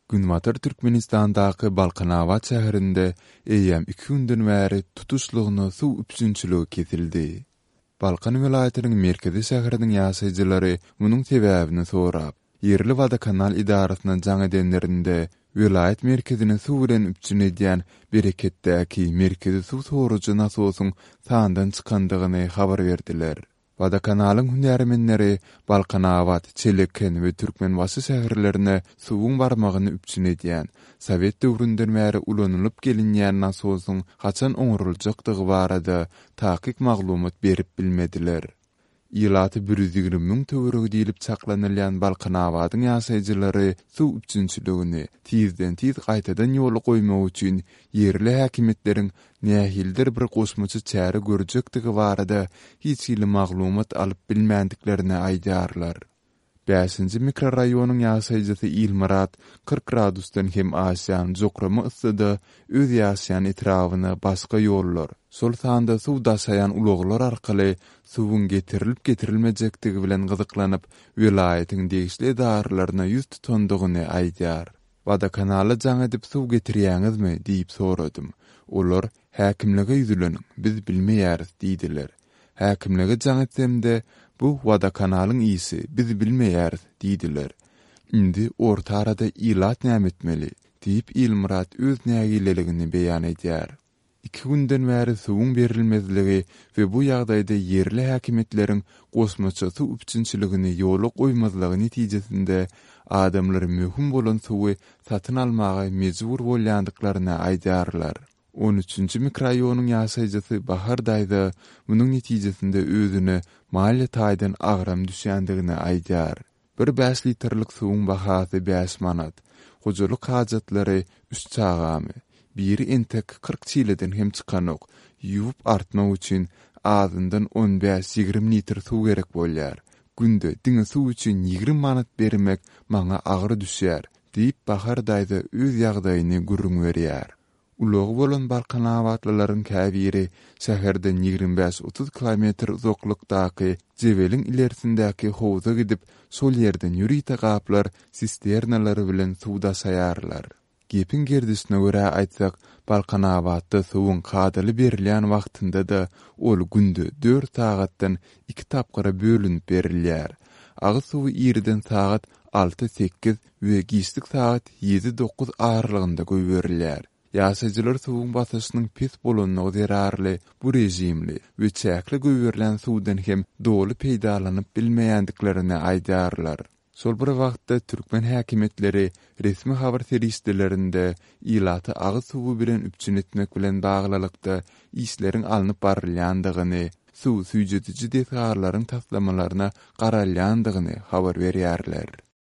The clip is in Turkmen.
Günbatar Türkmenistandaky Balkanabat şäherinde eýýäm iki günden bäri tutuşlygyna suw üpjünçiligi kesildi. Balkan welaýatynyň merkezi şäheriniň ýaşaýjylary munuň sebäbini sorap, ýerli wodokanal edarasyna jaň edenlerinde, welaýat merkezini suw bilen üpjün edýän Bereketdäki merkezi suw sorujy nasosyň sandan çykandygyny habar berdiler. Wodokanalyň hünärmenleri Balkanabat, Çeleken we Türkmenbaşy şäherlerine suwuň barmagyny üpjün edýän, sowet döwründen bäri ulanylyp gelinýän nasosyň haçan oňaryljakdygy barada takyk maglumat berip bilmediler. Ilaty 120 müň töweregi diýlip çaklanylýan Balkanabadyň ýaşaýjylary suw üpjünçiligini tizden-tiz gaýtadan ýola goýmak üçin ýerli häkimiýetleriň nähilidir bir goşmaça çäre görjekdigi barada hiç hili maglumat alyp bilmändiklerini aýdýarlar. Bäşinji mikroraýonyň ýaşaýjysy Ilmyrat 40 gradusdan hem aşýan jokrama yssyda öz ýaşaýan etrabyna başga ýollar, şol sanda suw daşaýan ulaglar arkaly suwuň getirilip-getirilmejekdigi bilen gyzyklanyp, welaýatyň degişli edaralaryna ýüz tutandygyny aýdýar. Wodokanala jaň edip suw getirýäňizmi diýip soradym. Olar, Häkimlige ýüzleniň, biz bilmeýäris diýdiler. Häkimlige jaň etsemde, Bu wodokanalyň işi, biz bilmeýäris diýdiler. Indi orta arada ilat näme etmeli? diýip Ilmyrat öz nägileligini beýan edýär. Iki günden bäri suwuň berilmezligi we bu ýagdaýda ýerli häkimiýetleriň goşmaça suw üpjünçiligini ýola goýmazlygy netijesinde adamlar möhüm bolan suwy satyn almaga mejbur bolýandyklaryny aýdýarlar. On üçünji mikroraýonyň ýaşaýjysy Bahar daýza munuň netijesinde özüne maliýe taýdan agram düşýändigini aýdýar. Bir bäş litrlik suwuň bahasy bäş manat. Hojalyk hajatlary üç çagamy. Biri entek 40 çileden hem çykanok. Ýuwup artmak üçin azyndan on bäş-ýigrimi litr suw gerek bolýar. Günde diňe suw üçin 20 manat bermek maňa agyr düşýär, diýip, Bahar daýza öz ýagdaýyny gürrüň berýär. Ulagy bolan balkanabatlylaryň käbiri şäherden 25-30 kilometr uzaklykdaky Jebeliň ilersindäki howza gidip, şol ýerden ýörite gaplar, sisternalar bilen suw daşaýarlar. Gepiň gerdişine görä aýtsak, Balkanabatda suwuň kadaly berilýän wagtynda-da ol günde dört sagatdan iki tapgyra bölünip berilýär. Agyz suwy irden sagat alty-sekiz we giçlik sagat ýedi-dokuz aralygynda goýberilýär. Ýaşaýjylar suwuň basyşynyň pes bolanlygy zerarly bu režimli we çäkli goýberilýän suwdan hem doly peýdalanyp bilmeýändiklerini aýdýarlar. Şol bir wagtda, türkmen häkimiýetleri resmi habar serişdelerinde ilaty agyz suwy bilen üpjün etmek bilen baglylykda işleriň alnyp barylýandygyny, suw süýjediji desgalaryň taslamalaryna garalýandygyny habar berýärler.